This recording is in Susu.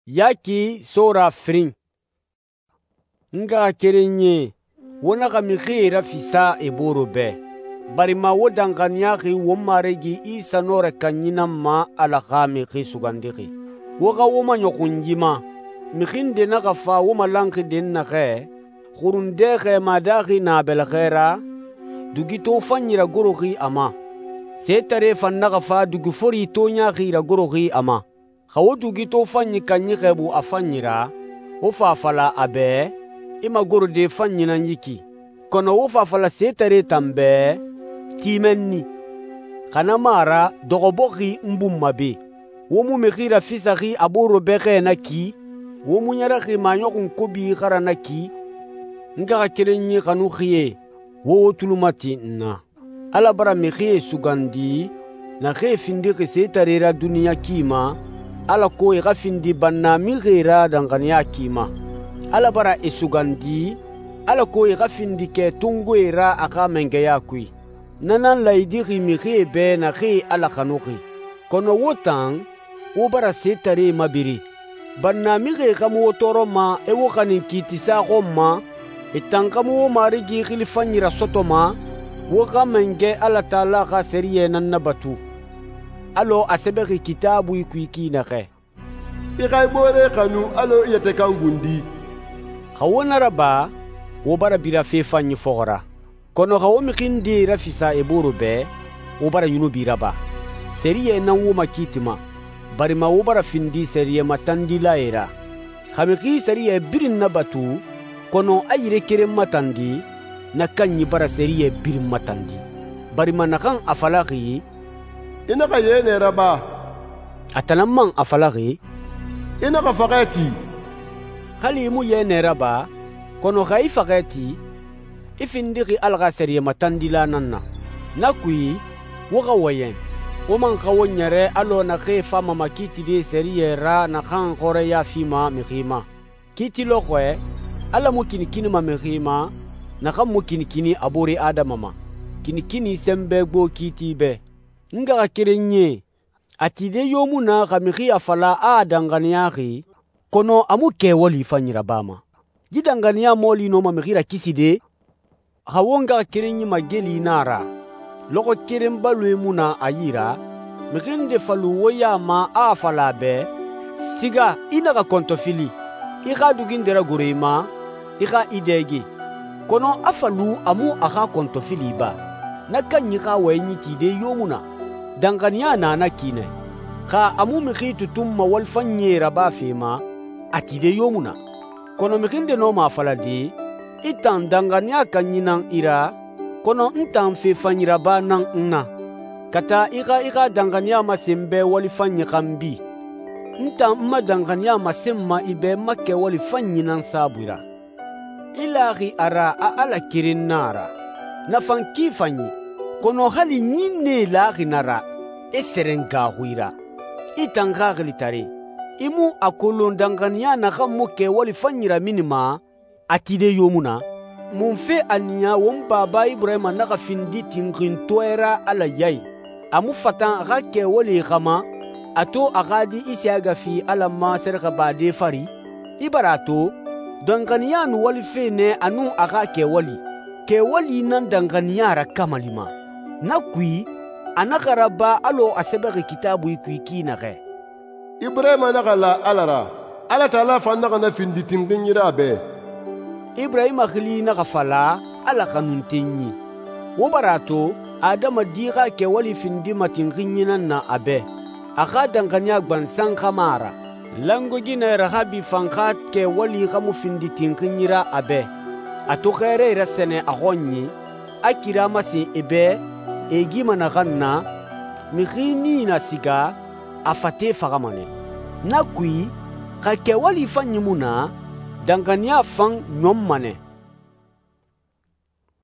Yaki sora firin. N ngaxakerenyie, wo naxa mixie rafisa e bore bɛ, barima wo danxaniyaxi won Marigi Isa Nɔrɛ Kanyi nan ma Ala xa Mixi Sugandixi. Wo xa wo maɲɔxun yi ma. Mixi nde naxa fa wo malanxi dɛnnaxɛ, xurundɛ xɛɛma daaxi na a bɛlɛxɛ ra, dugi tofanyi ragoroxi a ma. Setare fan naxa fa dugi fori to ɲaaxi ragoroxi a ma. Xa wo dugi tofanyi kanyi xɛɛbu a fanyi ra, wo fa a fala a bɛ, i magorode fanyi nan yi ki. Kɔnɔ wo fa a fala setare tan bɛ, ti mɛnni. Xa na mu a ra, dɔxɔbɔxi n bun ma be. Wo mu mixi rafisaxi a boore bɛxɛ na ki, wo mu ɲɛrɛxi maɲɔxun kobi xa ra na ki. N ngaxakerenyi xanuxie, wo wo tuli mati n na. Ala bara mixie sugandi, naxee findixi setare ra duniɲa ki ma, alako e xa findi bannamixie ra danxaniya ki ma. Ala bara e sugandi, alako e xa findi kɛ tongoe ra a xa mangɛya kui. Na nan laayidixi mixie bɛ naxee Ala xanuxi. Kɔnɔ wo tan, wo bara setare mabiri. Bannamixie xa mu wo tɔɔrɔma e wo xanin kiitisa xɔn ma, e tan xa mu wo Marigi xili fanyi rasɔtɔma, wo xa mangɛ Ala Taala xa sɛriyɛ nan nabatu. Alɔ a sɛbɛxi Kitaabui kui ki naxɛ: «I xa i boore xanu alɔ i yɛtɛ kan gundi.» Xa wo na raba, wo bara bira fe fanyi fɔxɔ ra. Kɔnɔ xa wo mixi ndee rafisa e bore bɛ, wo bara yunubi raba. Sɛriyɛ nan wo makiitima, barima wo bara findi sɛriyɛ matandilae ra. Xa mixi sɛriyɛ birin nabatu, kɔnɔ a yire keren matandi, na kanyi bara sɛriyɛ birin matandi. Barima naxan a falaxi, «I naxa yɛnɛ raba.» a tan nan man a falaxi, «I naxa faxɛ ti.» Hali i mu yɛnɛ raba, kɔnɔ xa i faxɛ ti, i findixi Ala xa sɛriyɛ matandila nan na. Na kui, wo xa wɔyɛn, wo man xa wo ɲɛrɛ alɔ naxee fama makiitide sɛriyɛ ra naxan xɔrɛya fima mixi ma. Kiiti lɔxɔɛ, Ala mu kinikinima mixi ma, naxan mu kinikini a boore Adama ma. Kinikini sɛnbɛ gbo kiiti bɛ. N ngaxakerenyie, a tide yo mu na xa mixi a fala a danxaniyaxi, kɔnɔ a mu kɛwali fanyi rabama. Yi danxaniya mɔɔli nɔma mixi rakiside? Xa wo ngaxakerenyi mageli na a ra, lɔxɔ keren baloe mu na a yi ra, mixi nde falu wo ya ma a fala a bɛ, siga i naxa kɔntɔfili, i xa dugi nde ragoro i ma, i xa i dɛge. Kɔnɔ a falu a mu a xa kɔntɔfili ba. Na kanyi xa wɔyɛnyi tide yo mu na. Danxaniya na na ki nɛ. Xa a mu mixi tutunma walifanyie rabafe ma, a tide yo mu na. Kɔnɔ mixi nde nɔma a falade, i tan danxaniya kanyi nan i ra, kɔnɔ n tan fe fanyi raba nan n na. Ka taa i xa danxaniya masen bɛ walifanyi xan bi. N tan n ma danxaniya masenma i bɛ n ma kɛwali fanyi nan saabui ra. I laxi a ra a Ala keren na a ra. Nafan ki fanyi, kɔnɔ hali ɲinnee laxi na ra, i sɛrɛn gaaxui ra. I tan xaxili tare, i mu a kolon danxaniya naxan mu kɛwali fanyi raminima, a tide yo mu na? Mun fe a niya won baba Iburahima naxa findi tinxintɔɛ ra Ala yayi? A mu fatan a xa kɛwali xama, a to a xa di Isiyaga fi Ala ma sɛrɛxɛbade fari? I bara a to, danxaniya nu walife nɛ a nun a xa kɛwali. Kɛwali nan danxaniya ra kamali ma. Na kui, a naxa raba alɔ a sɛbɛxi Kitaabui kui ki naxɛ: «Iburahima naxa la Ala ra, Ala Taala fan naxa na findi tinxinyi ra a bɛ.» Iburahima xili naxa fala Ala xanuntenyi. Wo bara a to, Adama di xa kɛwali findima tinxinyi nan na a bɛ. A xa danxaniya gbansan xama a ra. Langoginɛ Rahabi fan xa kɛwali xa mu findi tinxinyi ra a bɛ. A to xɛrɛ rasɛnɛ a xɔnyi, a kira masen e bɛ, e gima naxan na, mixi nii na siga, a fate faxama nɛ. Na kui, xa kɛwali fanyi mu na, danxaniya fan ɲɔnma nɛ.